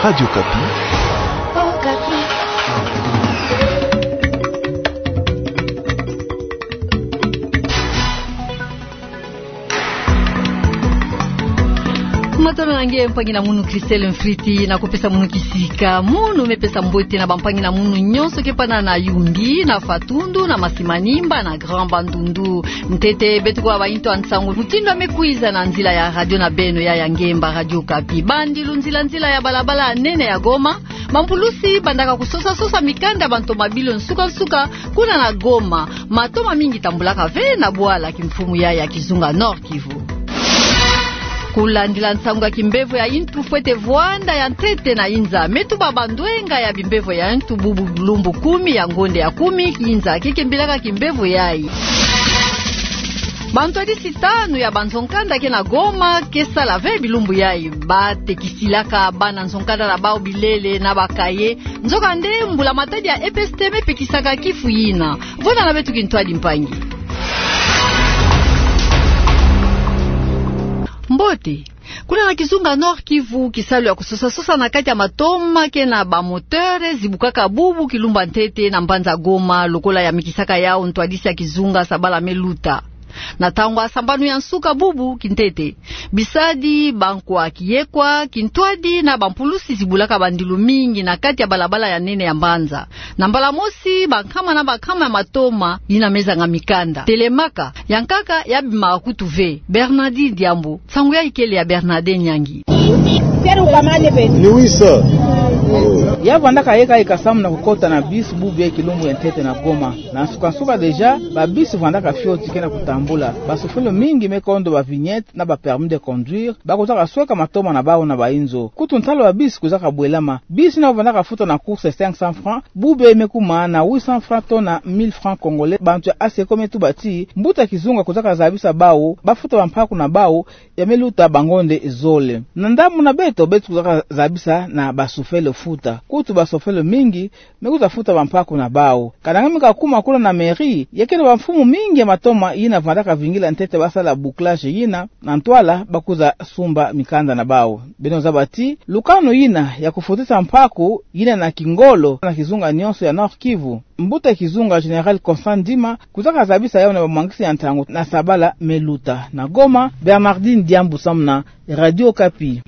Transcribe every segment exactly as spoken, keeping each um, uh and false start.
Radio Okapi. Matondo na nge mpangi na munu Christelle Mfriti, na kupesa munu kisika. Munu me pesa mbote na bampangi na munu nyonso ke pana na Yumbi, na Fatundu, na Masimanimba, na Grand Bandundu. Ntete beto kwa bainto ya nsangu mutindu ya me kwiza na nzila ya radio na beno ya ya ngemba Radio Okapi. Bandilu nzila-nzila ya balabala nene ya Goma, bampulusi bandaka kusosa-sosa mikanda bantomabilu nsuka-nsuka kuna na Goma. Matoma mingi tambulaka ve na bwala kimfumu ya ya kizunga Nord-Kivu. Kulandila nsangu ya kimbevo ya intu fwete vwanda ya ntete na inza, me tuba bandwenga ya bimbevo ya intu bubu lumbu kumi ya ngonde ya kumi, inza ke kembilaka kimbevo yayi. Bantwadisi tanu ya banzo-nkanda ke na Goma ke sala ve bilumbu yayi. Batekisilaka bana nzo-nkanda na bawu bilele na bakaye. Nzokande mbula-matadi ya E P S T me pekisaka kifu yina. Vwanda na beto kintwadi, mpangi. Mbote. Kuna na kizunga Nord-Kivu, kisalu ya kusosa-sosa na kati ya matoma ke na bamoteur zibukaka bubu kilumbu ya ntete na mbanza Goma, lokola yamikisaka yawu ntwadisi ya kizunga Sabala Meluta. Na ntangu ya sambanu ya nsuka bubu kintete, bisadi, bankwa kiyekwa, kintwadi na bampulusi zibulaka bandilu mingi na kati ya balabala ya nene ya mbanza. Na mbala mosi, bankama na bankama ya matoma yina me zanga mikanda. Telemaka, ya nkaka yabima kutu ve. Bernardin Diambu, nsangu yayi kele ya Bernardin Nyangi. Ni oui, sir. Ya vwandaka yeka yeka samu na kukota na bus bubu yayi kilumbu ya ntete na Goma. Na nsuka-nsuka déjà, ba bus vwandaka fioti ke na kutambula. Basofele mingi me kondo ba vignette na ba permis de conduire, ba kwizaka sweka matoma na bawu na bayinzo. Kutu ntalu ya bus kwizaka bwelama. Bus yina vwandaka futa na course cinq cents francs, bubu yayi me kuma na huit cents francs to na mille francs congolais. Bantu ya ASECO me tuba ti mbuta kizunga kwizaka zabisa bawu bafuta bampaku na bawu ya me luta bangonde zole. Na ndambu na beto, beto kwizaka zabisa na basofele futa. Kutu basofele mingi me kwiza futa bampaku na bawu. Kana nge me kakuma kuna na mairie, ya ke na bamfumu mingi ya matoma yina vwandaka vingila ntete basala bouclage yina, na ntwala ba kwiza sumba mikanda na bawu. Beno zaba ti lukanu yina ya kufutisa mpaku yina na kingolo na kizunga nyonso ya Nord-Kivu, mbuta kizunga Général Constant Ndima kwizaka zabisa yawu na bamwangisi ya ntangu na Sabala Meluta. Na Goma, Bernardin Diambu samu na Radio Okapi.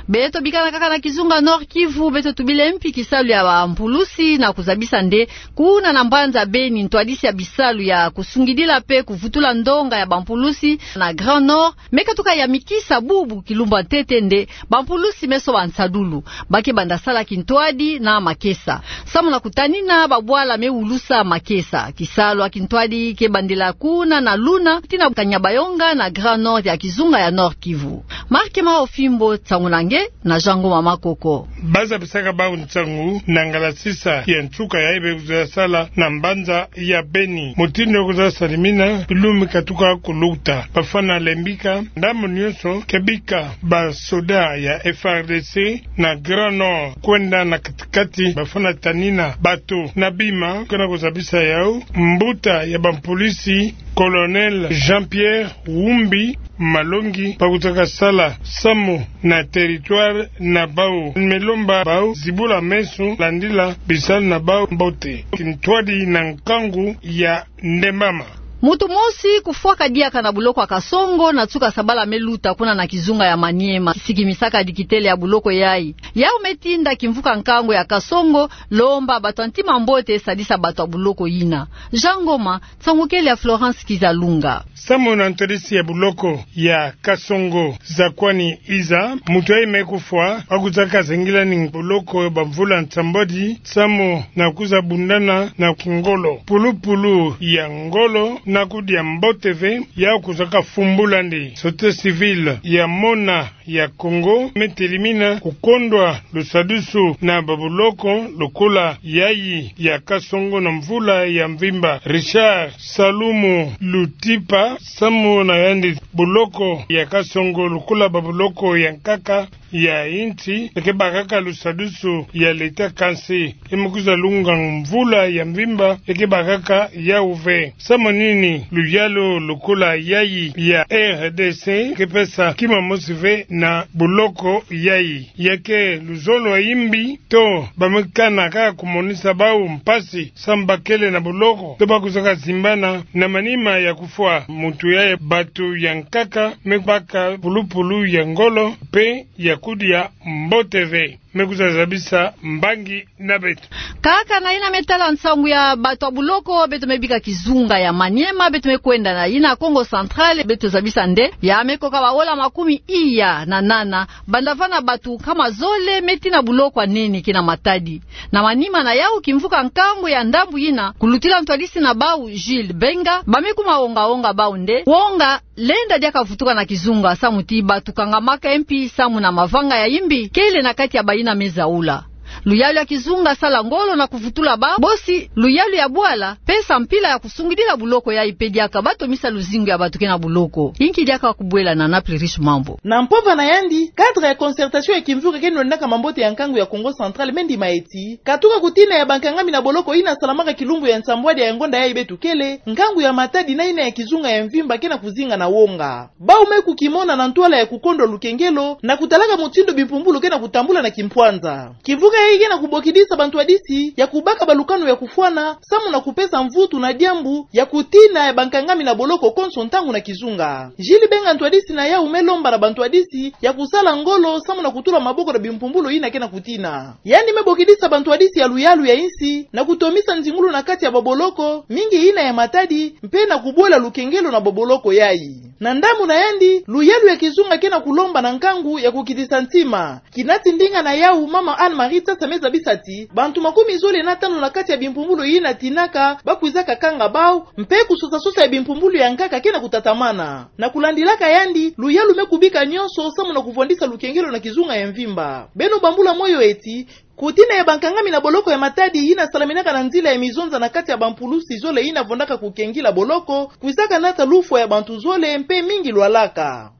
Beto bikana kaka na kizunga Nord-Kivu, beto tubile mpi kisalu ya bampulusi na kuzabisa nde kuna na mbanza Beni, ntwadisi ya bisalu ya kusungidila pe kuvutula ndonga ya bampulusi na Grand Nord me katuka yamikisa bubu kilumbu ya ntete nde bampulusi me soba nsadulu. Ba ke banda sala kintwadi na makesa samu na kutanina babwala me wulusa makesa. Kisalu ya kintwadi ke bandila kuna na Luna tii na Kanyabayonga na Grand Nord ya kizunga ya Nord-Kivu. Marc Maofimbo, nsangu na nge na Jean Ngoma Makoko. Ba zabisaka bawu nsangu na ngalasisa ya nsuka yayi be kwiza sala na mbanza ya Beni. Mutindu ya kwiza salimina bilumbu katuka kuluta. Bafwana lembika, ndambu nyonso ke bika basoda ya F A R D C na Grand Nord kwenda na katikati, bafwana tanina bato na bima. Kana kuzabisa yawu, mbuta ya bampulusi, Colonel Jean-Pierre Wumbi Malongi, ba kwizaka sala samu na territoire na bawu. Me lomba bawu zibula meso, landila bisalu na bawu mbote. Kintwadi na nkangu ya ndembama. Mutu mosi kufwaka diaka na buloko ya Kasongo na nsuka Sabala Meluta kuna na kizunga ya Maniema. Sikimisaka dikitele ya buloko yayi. Yawu me tinda kimvuka nkangu ya Kasongo lomba bato ya ntima mbote sadisa bato ya buloko yina. Jean Ngoma, nsangu kele ya Florence Kizalunga. Samu na ntwadisi ya buloko ya Kasongo, Zakwani Iza, mutu yayi me kufwa, ba kwizaka zengilani buloko bamvula nsambwadi samu na kwiza bundana na kingolo. Pulupulu ya ngolo na kudia mbote ve, ya kwizaka fumbula nde. Société civile ya Mona ya Kongo me telimina kukondwa lusadusu na babuloko lokola yayi ya Kasongo na mvula ya mvimba. Richard Salumu Lutipa, samu na yandi, buloko ya Kasongo lokola babuloko ya nkaka ya insi, e ke bakaka lusadusu ya leta, kansi e me kwiza lunga mvula ya mvimba, e ke bakaka yawu ve. Samu nini luyalu lokola yayi ya R D C ke pesa kima mosi ve na boloko yayi. Ya ke luzolo ya yimbi to bamekana kaka kumonisa bau mpasi samu bakele na boloko to bakusaka simbana na manima ya kufwa. Muntu yayi, batu ya nkaka mebaka pulupulu ya ngolo mpe ya kudia mbote ve. Mekusa zabisa mbangi na beto. Kaka na yina metala nsangu ya batu ya boloko, beto mebika kizunga ya Maniema, beto mekwenda na yina Kongo Central, beto zabisa nde ya mekoka baola makumi iya na nana, banda vana batu nkama zole metina boloko ya nene ke na Matadi. Na manima na yau kimvuka nkangu ya ndambu yina, kulutila ntwadisi na bau Gilles Benga, bamekuma onga-onga bau nde wonga lenda diaka vutuka na kizunga samu ti batu kangamaka mpi samu na mavanga ya yimbi kele na kati ya bayina mezaula. Luyalu ya kizunga sala ngolo na kuvutula bau, bosi luyalu ya bwala pesa mpila ya kusungidila boloko yayi mpe diaka batomisa luzingu ya batu ke na boloko. Inki diaka kubwela na Naples Riche Mambo. Na mpova na yandi, cadre ya concertation ya kimvuka ke na lwendaka mambote ya nkangu ya Kongo Central me ndima eti, katuka kutina ya bankangami na boloko yina salamaka kilumbu ya nsambwadi ya ngonda yayi beto kele, nkangu ya Matadi na yina ya kizunga ya mvimba ke na kuzinga na wonga. Bau mekukimona na ntwala ya kukondwa lukengelo, na kutalaka mutindu bimpumbulu ke na kutambula na kimpwanza. Kimvuka yayi ke na kubokidisa bantwadisi ya kubaka balukanu ya kufwana, samu na kupesa mvutu na diambu ya kutina ya bankangami na boloko konso ntangu na kizunga. Gilles Benga, ntwadisi na yau, melomba na bantwadisi ya kusala ngolo samu na kutula maboko na bimpumbulu yina ke na kutina. Yandi mebokidisa bantwadisi ya luyalu ya insi na kutomisa nzingulu na kati ya baboloko, mingi yina ya Matadi, mpe na kubwela lukengelo na baboloko yayi. Na ndambu na yandi, luyalu ya kizunga ke na kulomba na nkangu ya kukitisa ntima. Kinati ndinga na yau, mama Anne-Marie Tsasa mezabisa ti bantu makumi zole na tanu na kati ya bimpumbulu yina tinaka bakwizaka kanga bau, mpe kusosa-sosa ya bimpumbulu ya nkaka ke na kutatamana. Na kulandilaka yandi, luyalu mekubika nyonso samu na kuvwandisa lukengelo na kizunga ya mvimba. Beno bambula moyo eti, kutina ya bankangami na boloko ya Matadi yina salaminaka na nzila ya mizonza na kati ya bampulusi zole yina vwandaka kukengila boloko, kwizaka nata lufwa ya bantu zole mpe mingi lwalaka.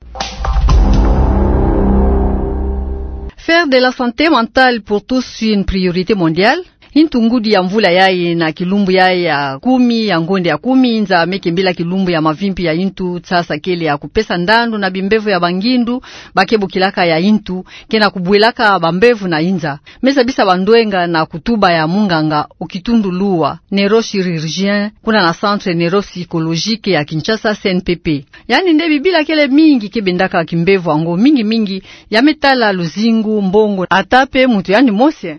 Faire de la santé mentale pour tous une priorité mondiale. Intu ngudi ya mvula yayi na kilumbu yayi ya kumi ya ngonde ya kumi, nza mekembila kilumbu ya mavimpi ya intu, Tsasa kele ya kupesa ndandu na bimbevo ya bangindu bakebukilaka ya intu ke na kubwelaka bambevo na inza. Mezabisa bandwenga na kutuba ya munganga okitundu Lua, neurochirurgien, kuna na centre neuropsychologique ya Kinshasa, C N P P. Yandi nde bibila kele mingi ke bendaka kimbevo yango, mingi-mingi ya metala luzingu, mbongo, ata mpe muntu yandi mosi.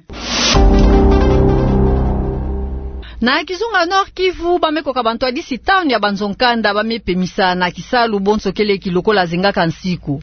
Na kizunga Nord-Kivu, bamekoka bantwadisi tanu ya banzo-nkanda bamepemisa na kisalu bonso kele ki lokola zengaka nsiku.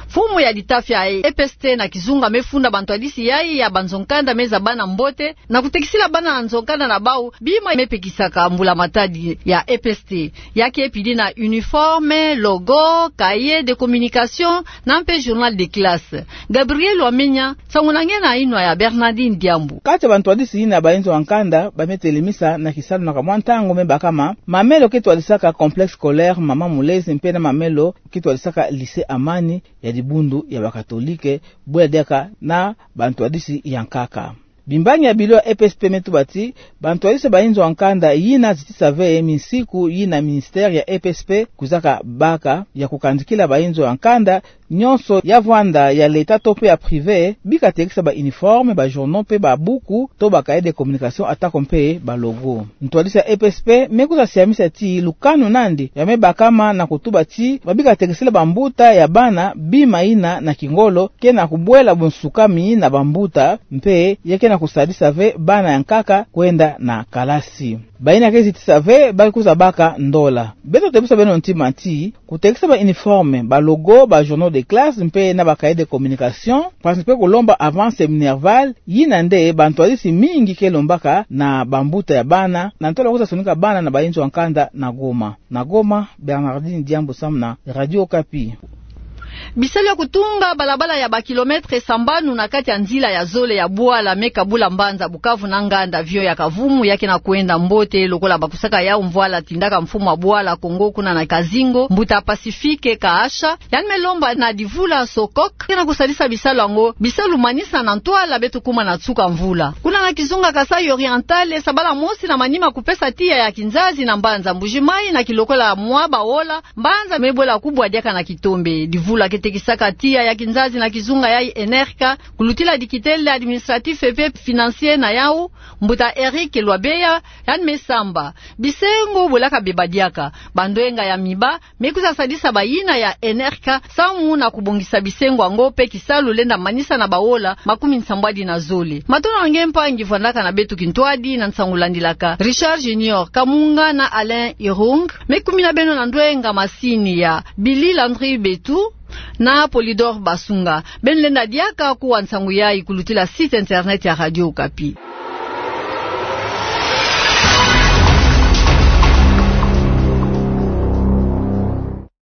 Mfumu ya litafa ya E P S T na kizunga mefunda bantwadisi yayi ya banzo-nkanda meza bana mbote, na kutekisila bana na nzo-nkanda na bau bima mepekisaka mbula-matadi ya E P S T. Ya ke pidi na uniforme, logo, cahier de communication, na mpe journal de classe. Gabriel Wamenya, nsangu na nge na inwa ya Bernardine Diambu. Kati ya bantwadisi yina ya banzo ya nkanda bametelemisa na kisalu na kamwa ntangu mebakama mamelo ke twadisaka Complexe Scolaire Mama Mulezi mpe na mamelo ke twadisaka Lycée Amani ya dibundu ya bakatolike, bwela diaka na bantwadisi ya nkaka. Bimbangi ya bilo ya E P S T metuba ti bantwadisi ya banzo ya nkanda yina zitisa ve minsiku yina ministère ya E P S T kwizaka baka ya kukandikila banzo ya nkanda nyonso ya vwanda, ya l'État to mpe ya privé, bika tekisa ba uniforme, ba journaux mpe ba buku to ba cahier de communication, atako mpe ba logo. Ntwadisi ya E P S T mekusa siamisa ti lukanu nandi ya mebakama na kutuba ti babika tekisila bambuta ya bana bima yina na kingolo ke na kubwela bunsukami na bambuta, mpe ya ke na kusadisa ve bana ya nkaka kwenda na kalasi. Bayina ke zitisa ve bakwiza baka ndola. Beto tebisa beno ntima ti kutekisa ba uniforme, ba logo, ba journaux de classe mpe na ba cahier de communication, mpasi mpe kulomba avance minerval, yina nde bantwadisi mingi ke lombaka na bambuta ya bana na ntwala kwiza sonika bana na banzo ya nkanda na Goma. Na Goma, Bernardine Diambu samu na Radio Okapi. Bisalu ya kutunga balabala ya ba kilomètre sambanu na kati ya nzila ya zole ya bwala me kabula mbanza Bukavu na nganda, avion ya Kavumu ya ke na kwenda mbote lokola bakusaka yau mvwala tindaka mfumu ya bwala Kongo kuna na Kazingo, mbuta Pacifique Kaasha, yandi me lomba na divula SOCOC ke na kusadisa bisalu yango, bisalu manisa na ntwala beto kuma na nsuka mvula. Kuna na kizunga Kasaï Oriental, sabala mosi na manima kupesa tiya ya kinzazi na mbanza Mbuji-Mayi na kilokola mwa baola, mbanza me bwela kubwa diaka na kitombe. Divula Baketekisaka tiya ya kinzazi na kizunga yayi ENERCA, kulutila dikitele administratif pe financier na yawu, mbuta Eric Lwabeya, yandi me samba: Bisengo bwelaka bebâ diaka. Bandwenga ya miba me kwiza sadisa bayina ya ENERCA samu na kubongisa bisengo yango pe kisalu lenda manisa na baola makumi nsambwadi na zole. Matondo na nge mpangi vwandaka na beto kintwadi na nsangu landilaka. Richard Junior Kamunga na Alain Irung me kumina beno na ndwenga masini ya Billy Landry Betu na Polydor Basunga. Beno lenda diaka kuwa nsangu yayi kulutila site internet ya Radio Okapi.